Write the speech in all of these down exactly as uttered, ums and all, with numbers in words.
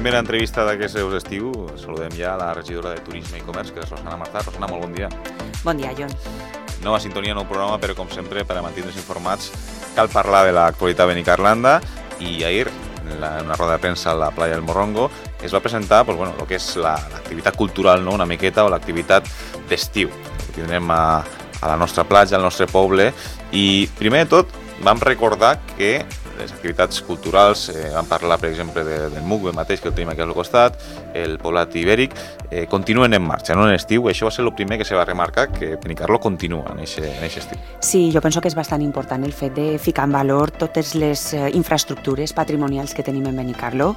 primera entrevista d'aquest seus estiu. Saludem ja la regidora de Turisme i Comerç, que és Rosana Marzà. Rosana, molt bon dia. Bon dia, Jon. Nova sintonia, nou programa, però com sempre, per a mantindre's informats, cal parlar de l'actualitat a Benicarlanda. I ahir, en una roda de premsa a la playa del Morrongo, es va presentar pues, bueno, el que és l'activitat cultural, no? Una miqueta, o l'activitat d'estiu. Tindrem a, a la nostra platja, al nostre poble. I, primer de tot, vam recordar que les activitats culturals, eh, vam parlar, per exemple, de, del M U C B mateix, que el tenim aquí al costat, el poblat ibèric, eh, continuen en marxa, no en estiu. Això va ser el primer que se va remarcar, que Benicarló continua en aquest estiu. Sí, jo penso que és bastant important el fet de ficar en valor totes les eh, infraestructures patrimonials que tenim en Benicarló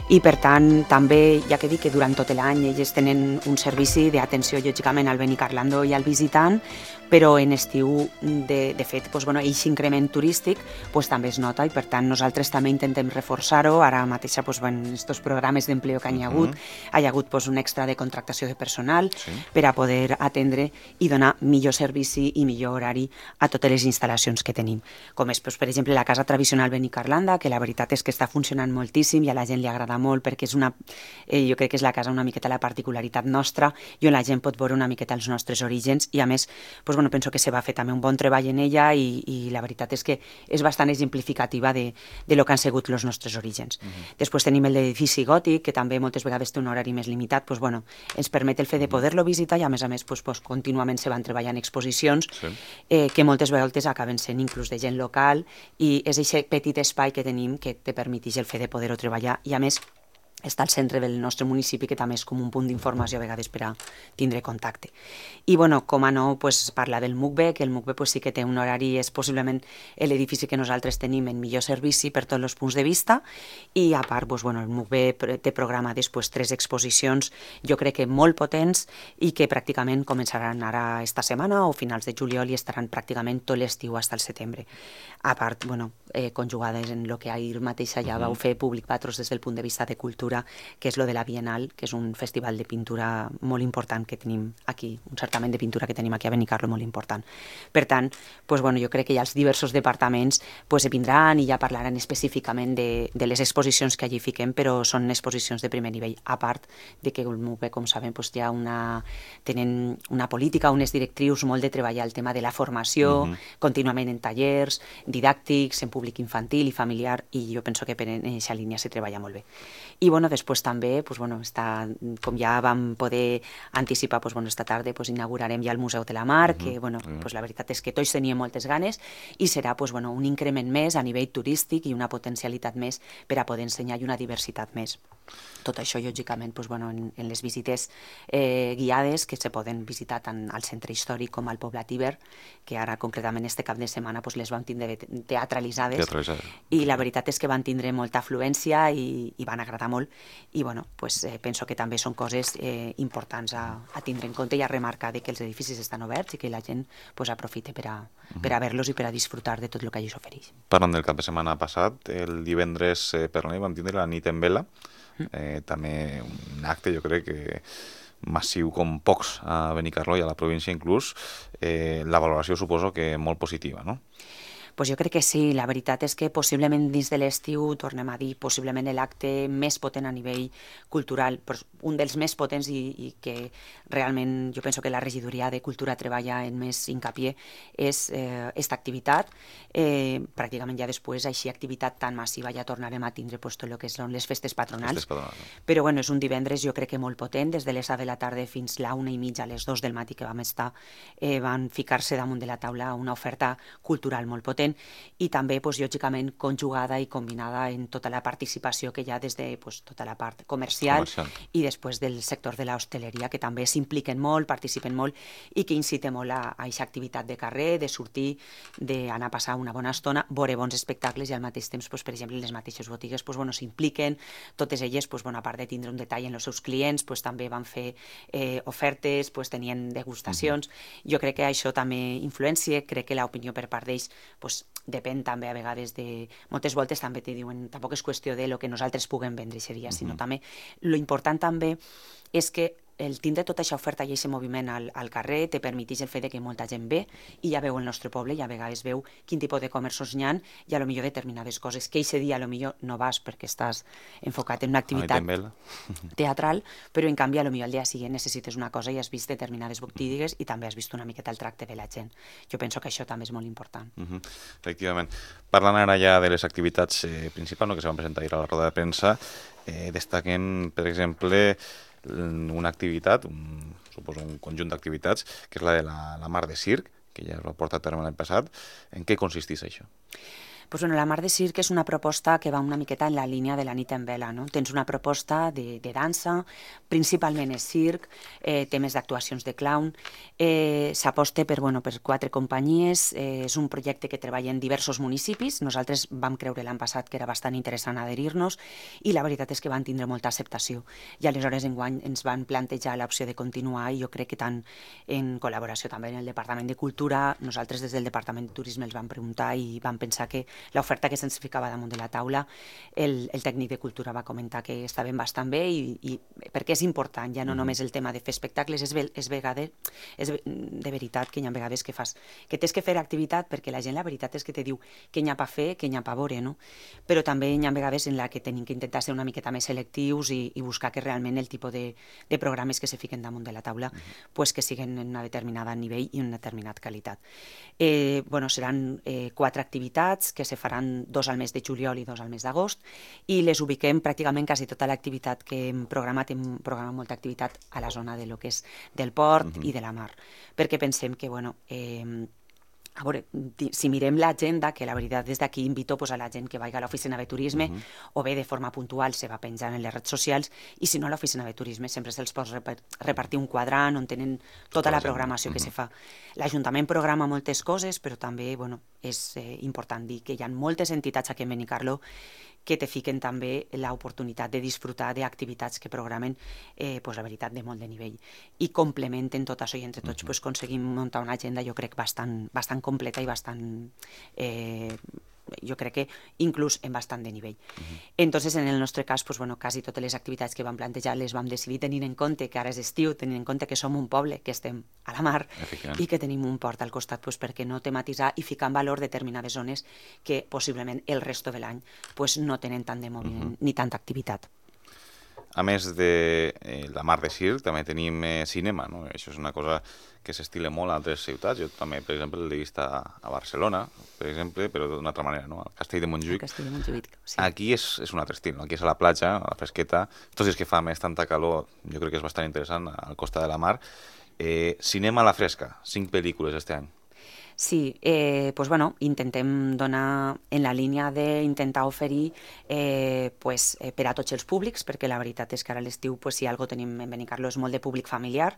i, per tant, també, ja que dic que durant tot l'any ells tenen un servici d'atenció, lògicament, al benicarlandó i al visitant, però en estiu, de, de fet, doncs, bueno, aquest increment turístic doncs, també es nota i, per tant, nosaltres també intentem reforçar-ho. Ara mateix, doncs, en aquests programes d'empleo que hi ha hagut, uh-huh. hi ha hagut doncs, un extra de contractació de personal sí. per a poder atendre i donar millor servici i millor horari a totes les instal·lacions que tenim. Com és, doncs, per exemple, la Casa Tradicional Benicarlanda, que la veritat és que està funcionant moltíssim i a la gent li agrada molt perquè és una, eh, jo crec que és la casa una miqueta la particularitat nostra i on la gent pot veure una miqueta els nostres orígens i, a més, doncs, bueno, penso que se va fer també un bon treball en ella i, i la veritat és que és bastant exemplificativa de, de lo que han sigut els nostres orígens. Uh-huh. Després tenim el d'edifici gòtic, que també moltes vegades té un horari més limitat, doncs, bueno, ens permet el fet de poder-lo visitar i, a més a més, doncs, doncs, contínuament se van treballant exposicions sí. eh, que moltes vegades acaben sent inclús de gent local i és aquest petit espai que tenim que te permeteix el fet de poder-ho treballar i, a més, està al centre del nostre municipi, que també és com un punt d'informació a vegades per a tindre contacte. I, bueno, com a no, pues, parla del M U C B, que el M U C B pues, sí que té un horari, és possiblement l'edifici que nosaltres tenim en millor servici per tots els punts de vista, i a part, pues, bueno, el M U C B té programades pues, tres exposicions, jo crec que molt potents, i que pràcticament començaran ara esta setmana o finals de juliol i estaran pràcticament tot l'estiu fins al setembre. A part, bueno, eh, conjugades en el que ahir mateix ja uh-huh. vau fer Públic Patros des del punt de vista de cultura, que és lo de la Bienal, que és un festival de pintura molt important que tenim aquí, un certament de pintura que tenim aquí a Benicarló molt important. Per tant, pues, bueno, jo crec que ja els diversos departaments pues, vindran i ja parlaran específicament de, de les exposicions que allí fiquem, però són exposicions de primer nivell, a part de que el M U C B, com sabem, pues, ja una, tenen una política, unes directrius molt de treballar el tema de la formació, uh-huh. contínuament en tallers, didàctics, en públic infantil i familiar, i jo penso que per en aquesta línia se treballa molt bé. I, bueno, després també, pues, bueno, està, com ja vam poder anticipar, pues, bueno, esta tarda pues, inaugurarem ja el Museu de la Mar, uh-huh. que, bueno, uh-huh. pues, la veritat és que tots teníem moltes ganes i serà pues, bueno, un increment més a nivell turístic i una potencialitat més per a poder ensenyar i una diversitat més. Tot això, lògicament, pues, bueno, en, en les visites eh, guiades que se poden visitar tant al centre històric com al poblat Iber, que ara concretament este cap de setmana pues, les vam tindre teatralitzades, teatralitzades i la veritat és que van tindre molta afluència i, i van agradar molt i bueno, pues, eh, penso que també són coses eh, importants a, a tindre en compte i a remarcar de que els edificis estan oberts i que la gent pues, aprofite per a, uh-huh. per a veure-los i per a disfrutar de tot el que allí s'ofereix. Parlant del cap de setmana passat, el divendres eh, per la nit vam tindre la nit en vela, eh, també un acte jo crec que massiu com pocs a Benicarló i a la província inclús, eh, la valoració suposo que molt positiva, no? Pues jo crec que sí, la veritat és que possiblement dins de l'estiu, tornem a dir, possiblement l'acte més potent a nivell cultural, un dels més potents i, i que realment jo penso que la regidoria de Cultura treballa en més hincapié és eh, esta activitat. Eh, pràcticament ja després, així activitat tan massiva ja tornarem a tindre pues, tot el que són les festes patronals. Festes patronals. Però bueno, és un divendres jo crec que molt potent, des de les set de la tarda fins la una i mitja, a les dos del matí que vam estar, eh, van ficar-se damunt de la taula una oferta cultural molt potent i també, pues, lògicament, conjugada i combinada en tota la participació que hi ha des de pues, tota la part comercial, comercial i després del sector de l'hostaleria, que també s'impliquen molt, participen molt i que inciten molt a aquesta activitat de carrer, de sortir, d'anar a passar una bona estona, veure bons espectacles i al mateix temps, pues, per exemple, les mateixes botigues pues, bueno, s'impliquen, totes elles, pues, bueno, a part de tindre un detall en els seus clients, pues, també van fer eh, ofertes, pues, tenien degustacions. Uh-huh. Jo crec que això també influencia, crec que l'opinió per part d'ells pues, depèn també a vegades de... Moltes voltes també te diuen, tampoc és qüestió de lo que nosaltres puguem vendre aquest dia, sinó uh-huh. també lo important també és que el tindre tota aquesta oferta i aquest moviment al, al carrer te permeteix el fet de que molta gent ve i ja veu el nostre poble i a vegades veu quin tipus de comerços n'hi ha i a lo millor determinades coses que aquest dia a lo millor no vas perquè estàs enfocat en una activitat teatral, però en canvi a lo millor al dia següent necessites una cosa i has vist determinades botigues i també has vist una miqueta el tracte de la gent. Jo penso que això també és molt important. Uh-huh. Efectivament. Parlant ara ja de les activitats eh, principals no, que se van presentar ahir a la roda de premsa, eh, destaquen, per exemple, una activitat, un, suposo un conjunt d'activitats, que és la de la, la Mar de Circ, que ja es va portar a terme l'any passat. En què consisteix això? Pues bueno, la Mar de Circ és una proposta que va una miqueta en la línia de la nit en vela, no? Tens una proposta de, de dansa, principalment és circ, eh, temes d'actuacions de clown, eh, s'aposta per, bueno, per quatre companyies, eh, és un projecte que treballa en diversos municipis, nosaltres vam creure l'any passat que era bastant interessant adherir-nos i la veritat és que van tindre molta acceptació i aleshores enguany ens van plantejar l'opció de continuar i jo crec que tant en col·laboració també en el Departament de Cultura, nosaltres des del Departament de Turisme els vam preguntar i vam pensar que l'oferta que se'ns ficava damunt de la taula, el, el tècnic de cultura va comentar que estaven bastant bé i, i perquè és important, ja no mm-hmm. només el tema de fer espectacles, és, és, vegades, és de veritat que hi ha vegades que fas, que tens que fer activitat perquè la gent la veritat és que te diu què n'hi ha per fer, què n'hi ha per veure, no? Però també hi ha vegades en la que tenim que intentar ser una miqueta més selectius i, i buscar que realment el tipus de, de programes que se fiquen damunt de la taula mm-hmm. pues que siguen en una determinada nivell i una determinada qualitat. Eh, bueno, seran eh, quatre activitats que se faran dos al mes de juliol i dos al mes d'agost i les ubiquem pràcticament quasi tota l'activitat que hem programat, hem programat molta activitat a la zona de lo que és del port uh-huh. i de la mar, perquè pensem que, bueno, eh, a veure, si mirem l'agenda, que la veritat des d'aquí invito pues, a la gent que vagi a l'oficina de turisme uh-huh. o bé de forma puntual se va penjant en les redes socials i si no a l'oficina de turisme sempre se'ls pot repartir un quadrant on tenen tota, tota la programació uh-huh. que se fa. L'Ajuntament programa moltes coses, però també bueno, és eh, important dir que hi ha moltes entitats aquí en Benicarló que te fiquen també l'oportunitat de disfrutar d'activitats que programen, eh, pues, la veritat, de molt de nivell. I complementen tot això i entre tots uh-huh. pues, aconseguim muntar una agenda, jo crec, bastant, bastant completa i bastant... Eh, jo crec que inclús en bastant de nivell. Uh-huh. Entonces, en el nostre cas, pues, bueno, quasi totes les activitats que vam plantejar les vam decidir tenint en compte que ara és estiu, tenint en compte que som un poble, que estem a la mar i que tenim un port al costat, pues, perquè no tematitzar i ficar en valor determinades zones que possiblement el resto de l'any pues, no tenen tant de moviment uh-huh. ni tanta activitat. A més de eh, la Mar de Circ, també tenim eh, cinema, no? Això és una cosa que s'estila molt a altres ciutats. Jo també, per exemple, l'he vist a, a Barcelona, per exemple, però d'una altra manera, no? Al Castell de Montjuïc. Castell de Montjuïc, sí. Aquí és, és un altre estil, no? Aquí és a la platja, a la fresqueta. Tots els que fa més tanta calor, jo crec que és bastant interessant, al costat de la mar. Eh, cinema a la fresca, cinc pel·lícules este any. Sí, eh, pues bueno, intentem donar en la línia d'intentar oferir eh, pues, eh, per a tots els públics, perquè la veritat és que ara a l'estiu pues, si algo tenim en Benicarló és molt de públic familiar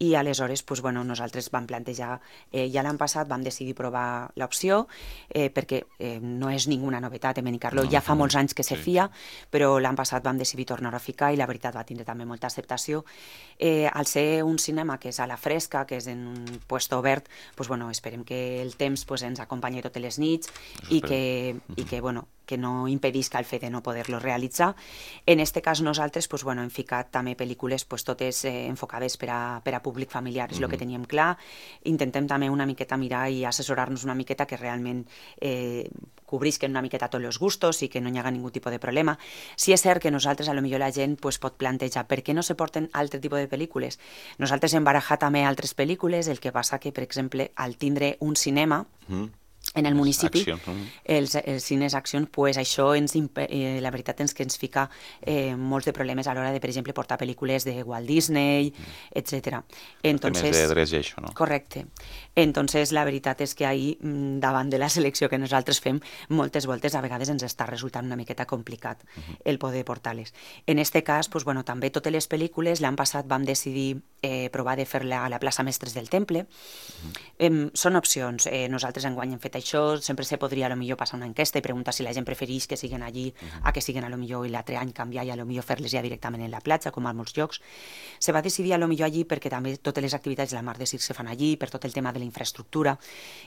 i aleshores pues, bueno, nosaltres vam plantejar, eh, ja l'any passat vam decidir provar l'opció eh, perquè eh, no és ninguna novetat en Benicarló, no, ja fa molts anys que se fia, però l'any passat vam decidir tornar a ficar i la veritat va tindre també molta acceptació. Eh, al ser un cinema que és a la fresca, que és en un puesto obert, pues, bueno, esperem que que el temps pues, ens acompanyi totes les nits i que, i que, bueno, que no impedisca el fet de no poder-lo realitzar. En este cas nosaltres pues, bueno, hem ficat també pel·lícules pues, totes eh, enfocades per a, per a públic familiar, és el mm-hmm. que teníem clar. Intentem també una miqueta mirar i assessorar-nos una miqueta que realment eh, cobrisquen una miqueta tots els gustos i que no hi haga ningú tipus de problema. Sí és cert que nosaltres, a lo millor la gent pues, pot plantejar per què no se porten altre tipus de pel·lícules. Nosaltres hem barajat també altres pel·lícules, el que passa que, per exemple, al tindre un cinema mm. en el municipi, accions, els, els cines accions, pues això ens, eh, la veritat és que ens fica eh, molts de problemes a l'hora de, per exemple, portar pel·lícules de Walt Disney, mm. etcètera. Entonces, temes de drets i això, no? Correcte. Entonces, la veritat és que ahir, davant de la selecció que nosaltres fem, moltes voltes a vegades ens està resultant una miqueta complicat uh-huh. el poder portar-les. En este cas, pues, bueno, també totes les pel·lícules, l'any passat vam decidir eh, provar de fer-la a la plaça Mestres del Temple. Uh-huh. Eh, són opcions. Eh, nosaltres enguany hem fet això, sempre se podria a lo millor passar una enquesta i preguntar si la gent prefereix que siguen allí uh-huh. a que siguen a lo millor i l'altre any canviar i a lo millor fer-les ja directament en la platja, com a molts llocs. Se va decidir a lo millor allí perquè també totes les activitats de la Mar de Sir se fan allí, per tot el tema de la infraestructura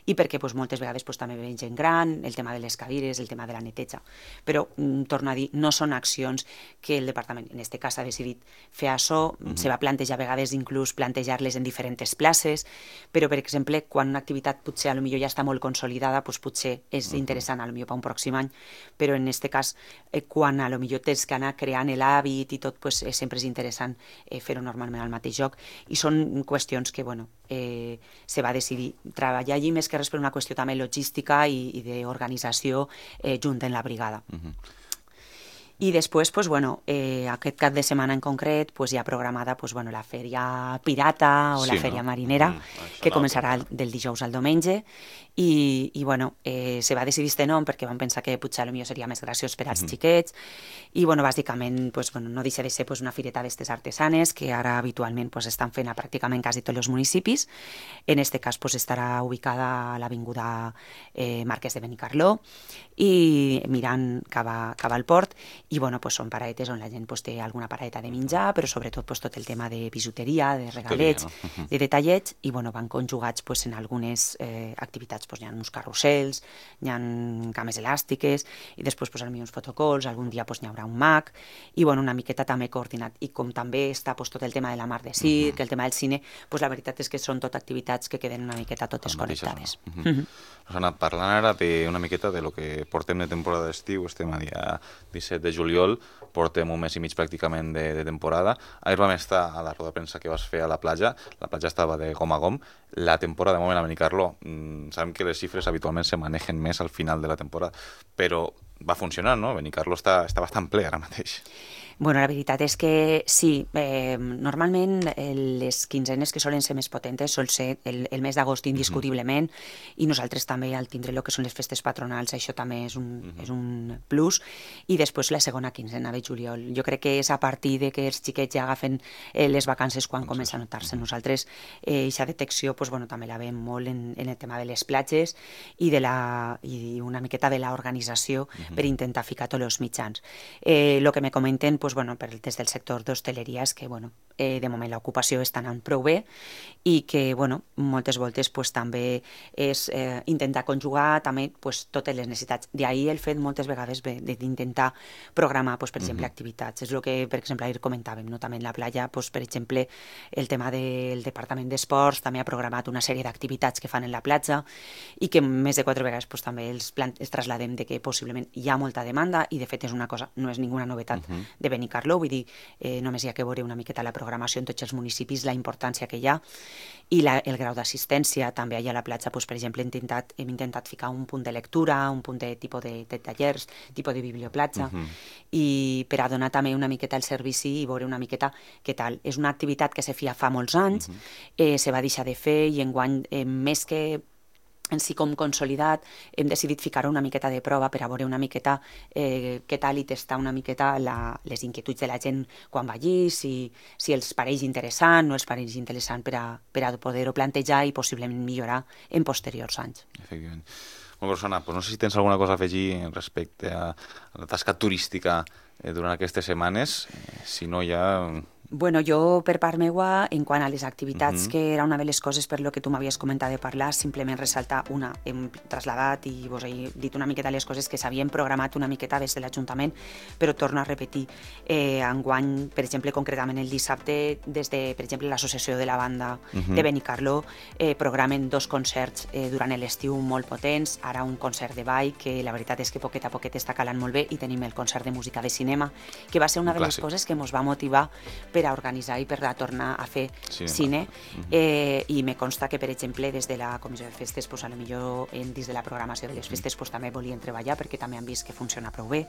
i perquè pues, moltes vegades pues, també ve gent gran, el tema de les cadires, el tema de la neteja. Però, mm, torno a dir, no són accions que el departament, en aquest cas, ha decidit fer això, uh-huh. se va plantejar a vegades inclús plantejar-les en diferents places, però, per exemple, quan una activitat potser a lo millor ja està molt consolidada, doncs potser és uh-huh. interessant a lo millor per un pròxim any, però en aquest cas, eh, quan a lo millor tens que anar creant l'hàbit i tot, pues, eh, sempre és interessant eh, fer-ho normalment al mateix lloc, i són qüestions que, bueno, eh, se va decidir treballar allí més que res per una qüestió també logística i, i d'organització eh, junt en la brigada. Uh-huh. I després, pues, bueno, eh, aquest cap de setmana en concret pues, hi ha programada pues, bueno, la fèria pirata o sí, la fèria no? marinera, mm, que començarà no, del dijous al diumenge, i, i bueno, eh, se va decidir este nom perquè vam pensar que potser potser seria més graciós per als mm-hmm. xiquets, i bueno, bàsicament pues, bueno, no deixa de ser pues, una fireta d'estes artesanes que ara habitualment pues, estan fent a pràcticament quasi tots els municipis. En este cas pues, estarà ubicada a l'avinguda eh, Marquès de Benicarló i mirant cap, a, cap al port, i bueno, pues són paradetes on la gent pues, té alguna paradeta de menjar, però sobretot pues, tot el tema de bisuteria, de regalets, no? de detallets, i bueno, van conjugats pues, en algunes eh, activitats. Pues, hi ha uns carrusels, hi ha cames elàstiques, i després pues, uns fotocols, algun dia pues, hi haurà un mag, i bueno, una miqueta també coordinat. I com també està pues, tot el tema de la Mar de Sir, uh-huh. el tema del cine, pues, la veritat és que són tot activitats que queden una miqueta totes connectades. Uh-huh. Uh-huh. Rosana, parlant ara de una miqueta de lo que portem de temporada d'estiu, estem a dia disset de juliol, portem un mes i mig pràcticament de, de temporada. Ahir vam estar a la roda de premsa que vas fer a la platja, la platja estava de gom a gom. La temporada, de moment, a Benicarló, mmm, sabem que les xifres habitualment se manegen més al final de la temporada, però va funcionar, no? Benicarló està, està bastant ple ara mateix. Bueno, la veritat és que sí, eh, normalment les quinzenes que solen ser més potentes sol ser el, el mes d'agost indiscutiblement, uh-huh. i nosaltres també al tindre el que són les festes patronals això també és un, uh-huh. és un plus, i després la segona quinzena de juliol. Jo crec que és a partir de que els xiquets ja agafen eh, les vacances quan comença a notar-se. Uh-huh. Nosaltres eh, aquesta detecció pues, bueno, també la veiem molt en, en el tema de les platges i, de la, i una miqueta de l'organització uh-huh. per intentar ficar tots els mitjans. El eh, que me comenten pues, bueno, per, des del sector d'hostaleria és que bueno, eh, de moment l'ocupació està anant prou bé i que bueno, moltes voltes pues, també és eh, intentar conjugar també pues, totes les necessitats. D'ahir el fet moltes vegades d'intentar programar pues, per exemple uh-huh. activitats. És el que per exemple ahir comentàvem, no? També en la platja, pues, per exemple el tema del Departament d'Esports també ha programat una sèrie d'activitats que fan en la platja i que més de quatre vegades pues, també els, els trasladem de que possiblement hi ha molta demanda i de fet és una cosa, no és ninguna novetat uh-huh. de Benicarló, vull dir, eh, només hi ha que veure una miqueta la programació en tots els municipis, la importància que hi ha i la, el grau d'assistència. També allà a la platja, pues, per exemple, hem intentat, hem intentat ficar un punt de lectura, un punt de tipus de, de tallers, tipus de biblioplatja, uh-huh. i per a donar també una miqueta el servici i veure una miqueta què tal. És una activitat que se feia fa molts anys, uh-huh. eh, se va deixar de fer i enguany, eh, més que en si com consolidat, hem decidit ficar una miqueta de prova per a veure una miqueta eh, què tal i testar una miqueta la, les inquietuds de la gent quan va allí, si, si els pareix interessant o els pareix interessant per a, per a poder-ho plantejar i possiblement millorar en posteriors anys. Efectivament. Molt bé, Rosana, doncs no sé si tens alguna cosa a afegir respecte a la tasca turística eh, durant aquestes setmanes, eh, si no ja... Bueno, jo per part meua, en quant a les activitats, uh-huh. que era una de les coses per lo que tu m'havies comentat de parlar, simplement ressaltar una. Hem trasladat i vos he dit una miqueta les coses que s'havien programat una miqueta des de l'Ajuntament, però torno a repetir. Eh, enguany, per exemple, concretament el dissabte, des de, per exemple, l'Associació de la Banda uh-huh. de Benicarló, eh, programen dos concerts eh, durant l'estiu molt potents, ara un concert de ball, que la veritat és que poquet a poquet està calant molt bé, i tenim el concert de música de cinema, que va ser una de les coses que ens va motivar per a organitzar i per a tornar a fer sí, cine, uh-huh. eh, i me consta que, per exemple, des de la Comissió de Festes, pues, a lo millor en, dins de la programació de les festes pues, també volien treballar perquè també han vist que funciona prou bé.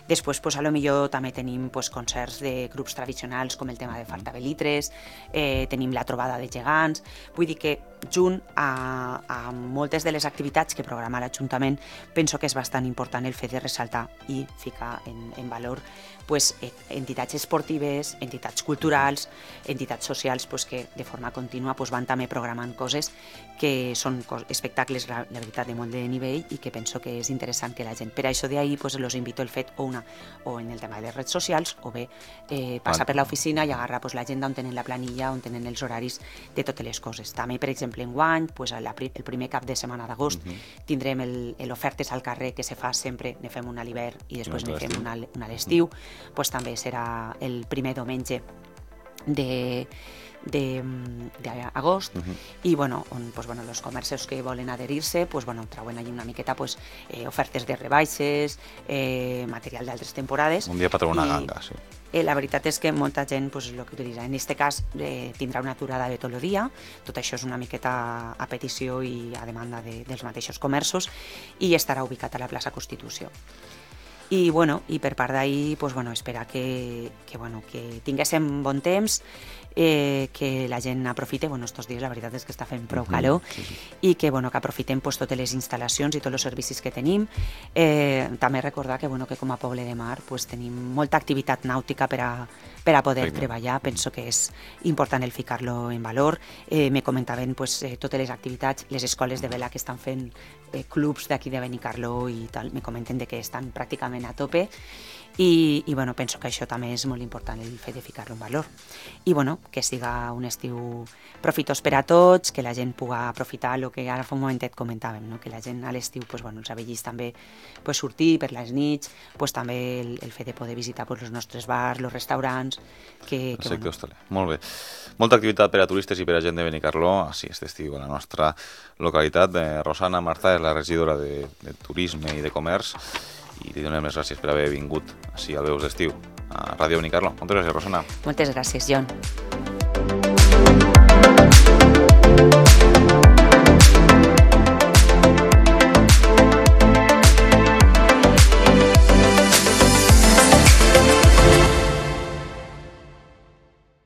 Després, pues, a lo millor també tenim pues, concerts de grups tradicionals com el tema de Fartabelitres, eh, tenim la trobada de gegants, vull dir que junt a, a moltes de les activitats que programa l'Ajuntament penso que és bastant important el fet de ressaltar i ficar en, en valor pues, entitats esportives, entitats culturals, entitats socials pues, que de forma contínua pues, van també programant coses que són espectacles, la, la veritat, de molt de nivell i que penso que és interessant que la gent. Per això d'ahir pues, los invito el fet o, una, o en el tema de les redes socials o bé eh, passar per l'oficina i agarrar pues, l'agenda on tenen la planilla, on tenen els horaris de totes les coses. També, per exemple, enguany, pues, la, el primer cap de setmana d'agost uh -huh. tindrem l'ofertes al carrer que se fa sempre, ne fem una a l'hivern i després ne fem una, una a l'estiu, pues, també serà el primer diumenge de d'agost uh -huh. i bueno, on pues, bueno, els comerços que volen adherir-se pues, bueno, trauen allà una miqueta pues, eh, ofertes de rebaixes, eh, material d'altres temporades. Un dia per treure una ganga, sí. Eh, la veritat és que molta gent pues, lo que utilitza. En aquest cas eh, tindrà una aturada de tot el dia, tot això és una miqueta a petició i a demanda de, dels mateixos comerços i estarà ubicat a la plaça Constitució. I, bueno, i per part d'ahir pues, bueno, esperar que, que, bueno, que tinguéssim bon temps, eh, que la gent aprofite, bueno, estos dies la veritat és que està fent prou calor, uh-huh, sí, sí. i que, bueno, que aprofitem pues, totes les instal·lacions i tots els servicis que tenim. Eh, també recordar que, bueno, que com a poble de mar pues, tenim molta activitat nàutica per a, per a poder sí, treballar, penso que és important el ficar-lo en valor. Eh, me comentaven pues, eh, totes les activitats, les escoles de vela que estan fent eh, clubs d'aquí de Benicarló i tal, me comenten de que estan pràcticament a tope i, i bueno, penso que això també és molt important el fet de ficar-lo en valor i bueno, que siga un estiu profitós per a tots, que la gent pugui aprofitar el que ara fa un momentet comentàvem, no? Que la gent a l'estiu, pues, bueno, els avellis també pues, sortir per les nits, pues, també el, el fet de poder visitar pues, els nostres bars, els restaurants que, que, el sector bueno. hostaler. Molt bé. Molta activitat per a turistes i per a gent de Benicarló, així aquest estiu a la nostra localitat. Eh, Rosana Martà és la regidora de, de Turisme i de Comerç i li donem les gràcies per haver vingut així al Veus d'Estiu a Ràdio Benicarló. Moltes gràcies, Rosana. Moltes gràcies, John.